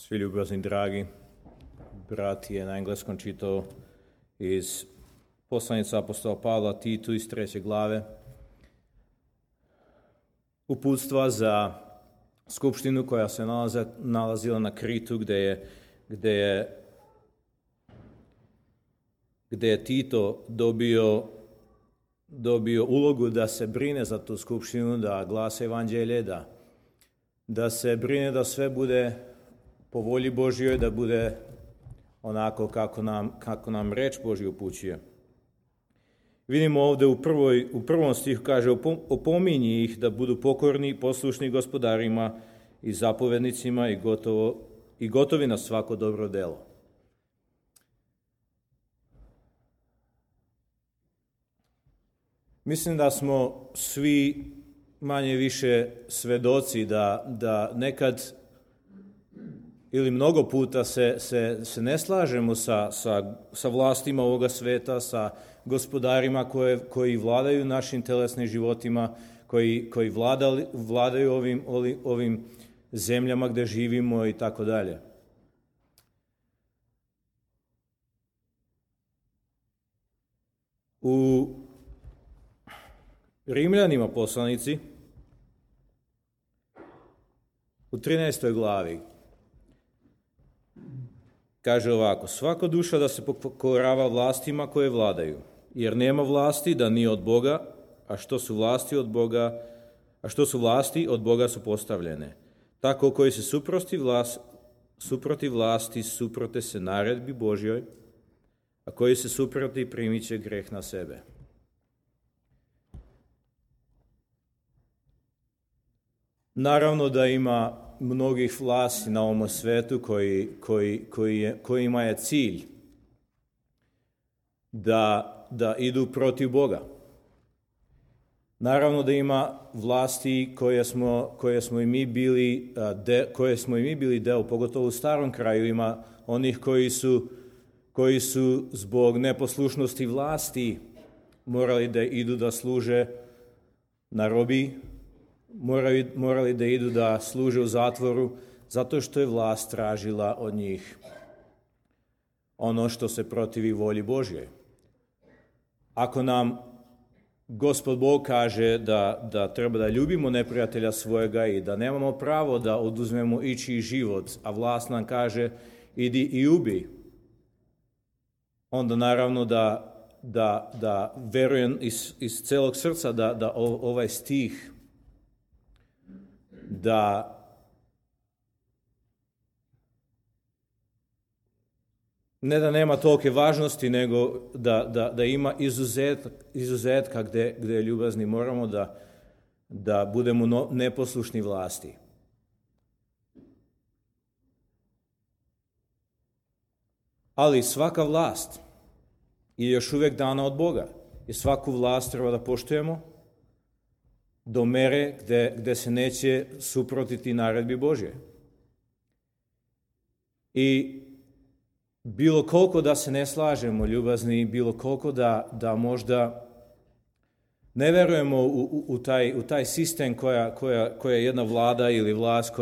Svi ljubazni dragi, brat je na engleskom čitao iz poslanice apostola Pavla Titu iz 3. glave. Uputstva za skupštinu koja se nalazila na Kritu, gde je Tito dobio ulogu da se brine za tu skupštinu, da glasa evanđelje, da se brine da sve bude po volji Božjoj, da bude onako kako nam reč Božja upućuje. Vidimo ovdje u prvom stihu kaže: opominji ih da budu pokorni i poslušni gospodarima i zapovednicima i gotovi na svako dobro delo. Mislim da smo svi manje više svedoci da nekad ili mnogo puta se ne slažemo sa vlastima ovoga sveta, sa gospodarima koji vladaju našim telesnim životima, koji vladaju ovim zemljama gdje živimo i tako dalje. U Rimljanima poslanici u 13. glavi kaže ovako: svaka duša da se pokorava vlastima koje vladaju, jer nema vlasti da nije od Boga, a što su vlasti od Boga su postavljene. Tako koji se suproti vlasti suprote se naredbi Božjoj, a koji se suproti primit će greh na sebe. Naravno da ima mnogih vlasti na ovom svetu kojima je cilj da idu protiv Boga. Naravno da ima vlasti koje smo i mi bili deo, pogotovo u starom kraju. Ima onih koji su zbog neposlušnosti vlasti morali da idu da služe na robiji, morali da idu da služe u zatvoru, zato što je vlast tražila od njih ono što se protivi volji Božjoj. Ako nam Gospod Bog kaže da treba da ljubimo neprijatelja svojega i da nemamo pravo da oduzmemo ičiji život, a vlast nam kaže idi i ubi, onda naravno da verujem iz celog srca da ovaj stih ne da nema tolike važnosti, nego da ima izuzetka gdje ljubazni moramo da budemo neposlušni vlasti. Ali svaka vlast je još uvijek dana od Boga i svaku vlast treba da poštujemo do mere gdje se neće suprotiti naredbi Božje. I bilo koliko da se ne slažemo, ljubazni, bilo koliko da možda ne verujemo u taj sistem koja jedna vlada ili vlast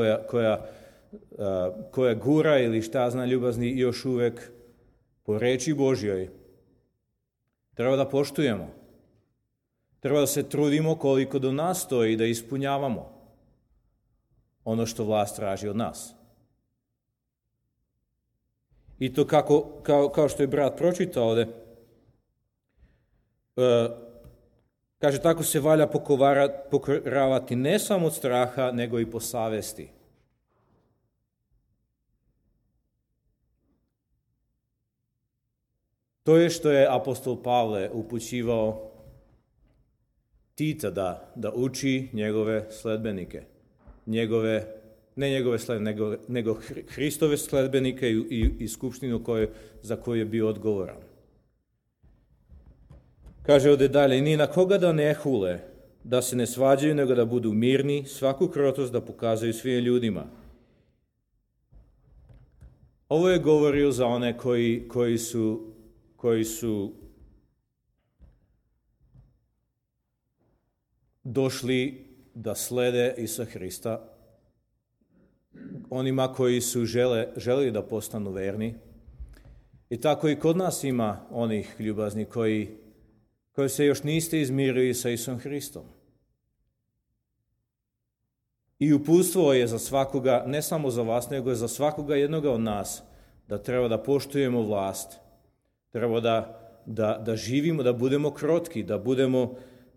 koja gura ili šta zna, ljubazni, još uvijek po reči Božjoj treba da poštujemo. Treba da se trudimo koliko do nas stoji da ispunjavamo ono što vlast traži od nas. I to kao što je brat pročitao ovdje, kaže tako se valja pokoravati ne samo od straha, nego i po savesti. To je što je apostol Pavle upućivao Tita da uči njegove sledbenike, ne njegove sledbenike, nego Hristove sledbenike i skupštinu za koju je bio odgovoran. Kaže ovdje dalje: ni na koga da ne hule, da se ne svađaju, nego da budu mirni, svaku krotost da pokazuju svim ljudima. Ovo je govorio za one koji su došli da slede Isusa Hrista onima koji su želeli da postanu verni. I tako i kod nas ima onih ljubazni koji se još niste izmirili sa Isusom Hristom. I uputstvo je za svakoga, ne samo za vas, nego je za svakoga jednoga od nas, da treba da poštujemo vlast, treba da živimo, da budemo krotki,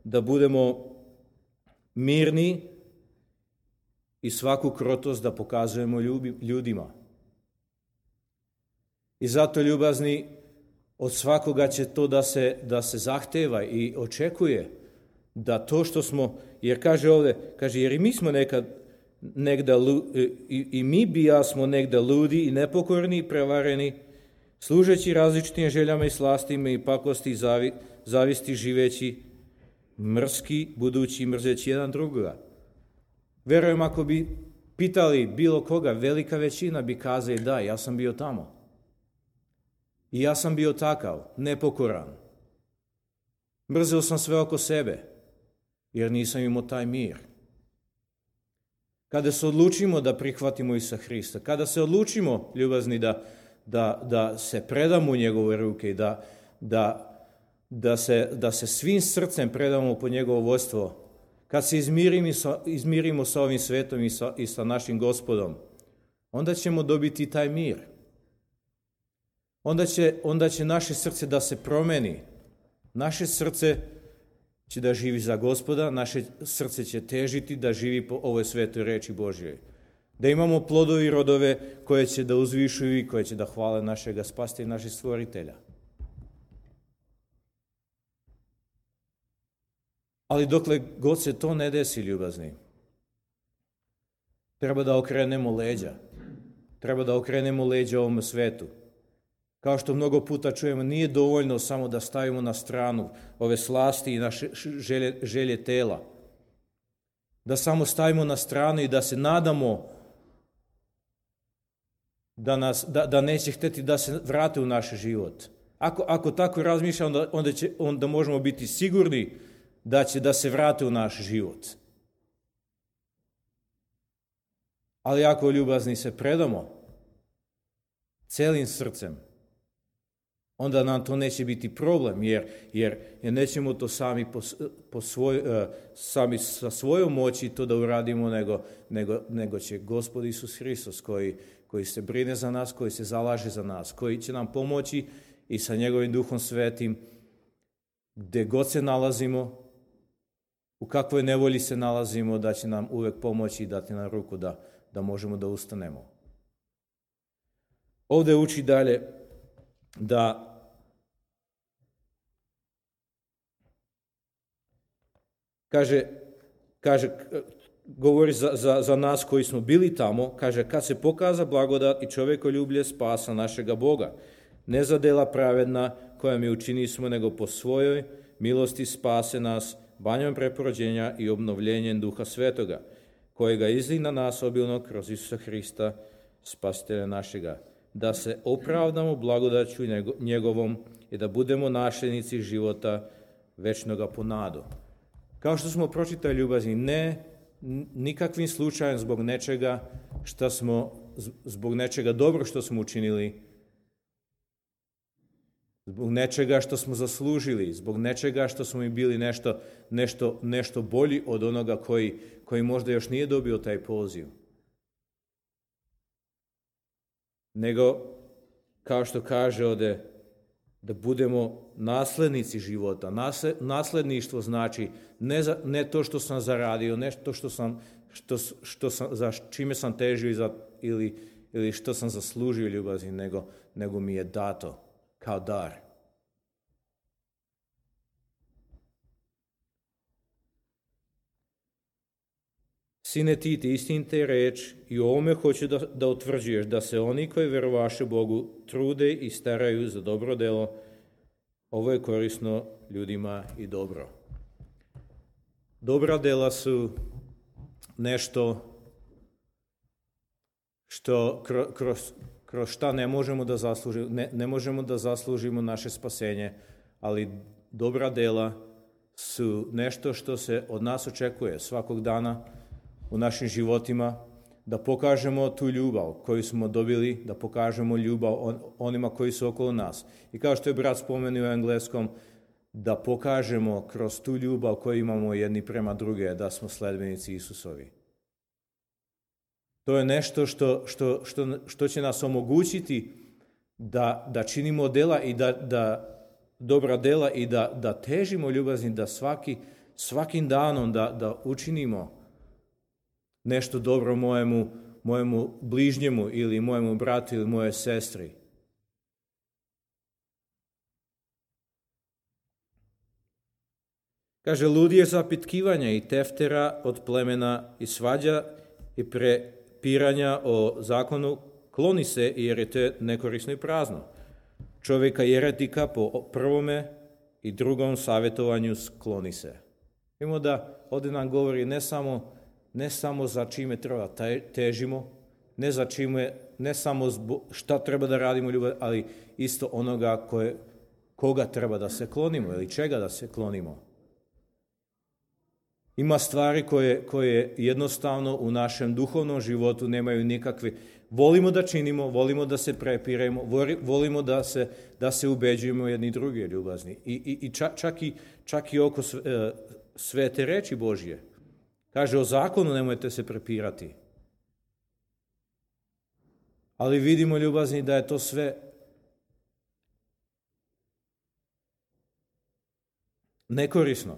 da budemo mirni i svaku krotost da pokazujemo ljudima. I zato, ljubazni, od svakoga će to da se zahteva i očekuje da to što smo, jer kaže ovdje, jer i mi smo i mi bijasmo negda ludi i nepokorni i prevareni, služeći različitim željama i slastima i pakosti i zavisti, živeći mrski, budući mrzeći jedan drugoga. Verujem, ako bi pitali bilo koga, velika većina bi kazali da, ja sam bio tamo. I ja sam bio takav, nepokoran. Mrzeo sam sve oko sebe, jer nisam imao taj mir. Kada se odlučimo da prihvatimo Isusa Hrista, kada se odlučimo, ljubazni, da se predamo u njegove ruke i da se svim srcem predamo po njegovo vodstvo, kad se izmirimo sa ovim svetom i sa našim Gospodom, onda ćemo dobiti taj mir. Onda će naše srce da se promeni. Naše srce će da živi za Gospoda, naše srce će težiti da živi po ovoj svetoj reči Božjoj. Da imamo plodovi i rodove koje će da uzvišuju i koje će da hvale našega Spasitelja i našeg Stvoritelja. Ali dokle god se to ne desi, ljubazni, treba da okrenemo leđa. Treba da okrenemo leđa ovom svetu. Kao što mnogo puta čujemo, nije dovoljno samo da stavimo na stranu ove slasti i naše želje tela. Da samo stavimo na stranu i da se nadamo da neće hteti da se vrate u naš život. Ako tako razmišljamo, onda možemo biti sigurni da će da se vrate u naš život. Ali ako, ljubazni, se predamo celim srcem, onda nam to neće biti problem, jer nećemo to sami sa svojom moći to da uradimo, nego će Gospod Isus Hristos, koji se brine za nas, koji se zalaže za nas, koji će nam pomoći i sa njegovim Duhom Svetim, gde god se nalazimo, u kakvoj nevolji se nalazimo, da će nam uvek pomoći i dati nam ruku da možemo da ustanemo. Ovde uči dalje da govori za nas koji smo bili tamo, kaže, kad se pokaza blagodat i čovekoljublje spasa našega Boga, ne za dela pravedna koja mi učini smo, nego po svojoj milosti spase nas banjom preporođenja i obnovljenjem Duha Svetoga, kojega izli na nas obilno kroz Isusa Hrista, Spasitelja našega, da se opravdamo blagodaću njegovom i da budemo nasljednici života večnoga po nadu. Kao što smo pročitali, ljubazni, ne nikakvim slučajem zbog nečega dobro što smo učinili, zbog nečega što smo zaslužili, zbog nečega što smo i bili nešto bolji od onoga koji možda još nije dobio taj poziv. Nego, kao što kaže ovde, da budemo naslednici života. Nasledništvo znači ne to što sam zaradio, ne to za čime sam težio ili što sam zaslužio, ljubazni, nego mi je dato kao dar. Sine Tite, istinite reč i o ovome hoću da utvrđuješ, da se oni koji verovaše Bogu trude i staraju za dobro delo. Ovo je korisno ljudima i dobro. Dobra dela su nešto što kroz šta ne možemo da zaslužimo naše spasenje, ali dobra dela su nešto što se od nas očekuje svakog dana u našim životima, da pokažemo tu ljubav koju smo dobili, da pokažemo ljubav onima koji su okolo nas. I kao što je brat spomenuo u engleskom, da pokažemo kroz tu ljubav koju imamo jedni prema druge, da smo sledbenici Isusovi. To je nešto što će nas omogućiti da činimo dela i da dobra dela i da težimo ljubazni, da svakim danom da učinimo nešto dobro mojemu bližnjemu ili mojemu bratu ili moje sestri. Kaže, ludi je zapitkivanja i teftera od plemena i svađa i prepiranja o zakonu, kloni se jer je to nekorisno i prazno. Čovjeka jeretika po prvome i drugom savjetovanju skloni se. Vidimo da ovdje nam govori ne samo za čime treba težimo, ne samo šta treba da radimo ljubav, ali isto onoga koga treba da se klonimo ili čega da se klonimo. Ima stvari koje jednostavno u našem duhovnom životu nemaju nikakve. Volimo da činimo, volimo da se prepiremo, volimo da se ubeđujemo jedni drugi ljubazni. I čak i oko svete reči Božje. Kaže, o zakonu nemojte se prepirati. Ali vidimo, ljubazni, da je to sve nekorisno,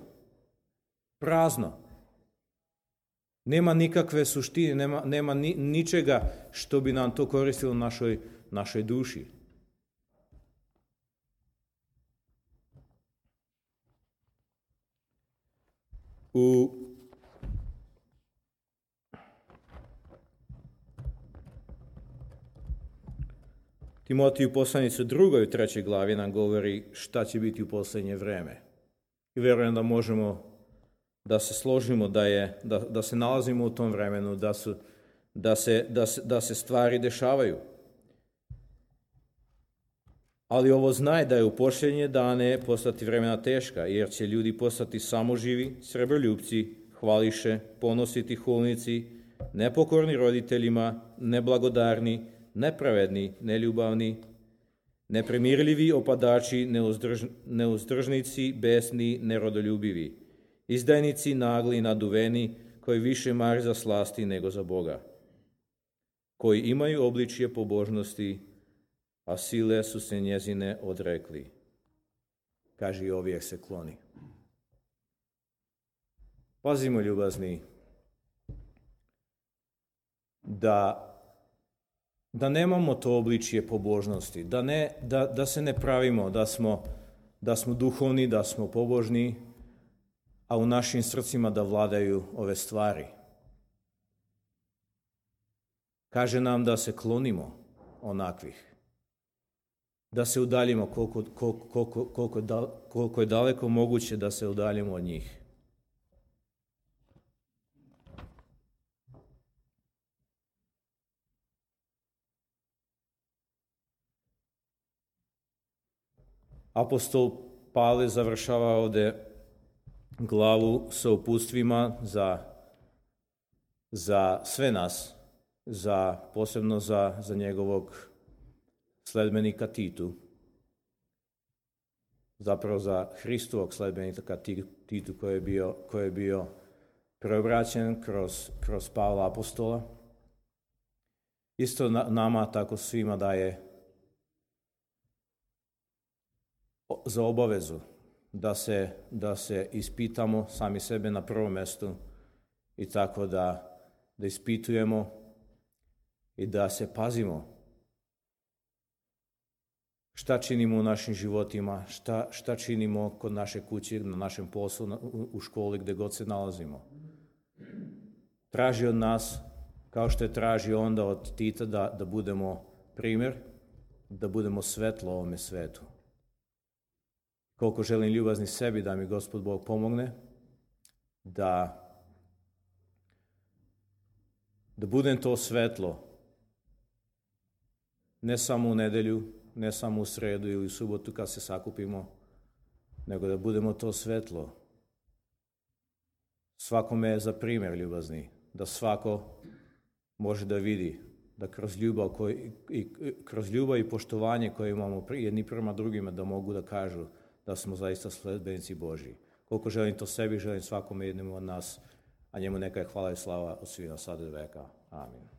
prazno. Nema nikakve suštine, nema ničega što bi nam to koristilo našoj duši. U Timotiju poslanicu 2. i 3. glavi nam govori šta će biti u posljednje vreme. I vjerujem da možemo da se složimo da se nalazimo u tom vremenu, da se stvari dešavaju. Ali ovo znaj da je u posljednje dane postati vremena teška, jer će ljudi postati samoživi, srebroljupci, hvališe, ponositi, hulnici, nepokorni roditeljima, neblagodarni, nepravedni, neljubavni, nepremirljivi, opadači, neuzdržnici, besni, nerodoljubivi, izdajnici, nagli, naduveni, koji više mare za slasti nego za Boga, koji imaju obličje pobožnosti, a sile su se njezine odrekli. Kaže, i ovih se kloni. Pazimo, ljubazni, da nemamo to obličje pobožnosti, da se ne pravimo da smo duhovni, da smo pobožni, a u našim srcima da vladaju ove stvari. Kaže nam da se klonimo onakvih, da se udaljimo koliko je daleko moguće da se udaljimo od njih. Apostol Pavle završava ovdje glavu sa uputstvima za sve nas, posebno za njegovog sledbenika Titu, zapravo za Hristovog sledbenika Titu koji je bio preobraćen kroz Pavla apostola. Isto nama tako svima daje za obavezu da se ispitamo sami sebe na prvom mjestu i tako da ispitujemo i da se pazimo šta činimo u našim životima, šta činimo kod naše kuće, na našem poslu, u školi, gdje god se nalazimo. Traži od nas, kao što je traži onda od Tita, da budemo primjer, da budemo svetlo ovome svetu. Koliko želim, ljubazni, sebi da mi Gospod Bog pomogne, da budem to svetlo, ne samo u nedelju, ne samo u sredu ili u subotu kad se sakupimo, nego da budemo to svetlo. Svakome je za primjer, ljubazni, da svako može da vidi da kroz ljubav i poštovanje koje imamo jedni prema drugima, da mogu da kažu da smo zaista sledbenici Božji. Koliko želim to sebi, želim svakome jednom od nas, a njemu neka je hvala i slava od svih na sada i veka. Amin.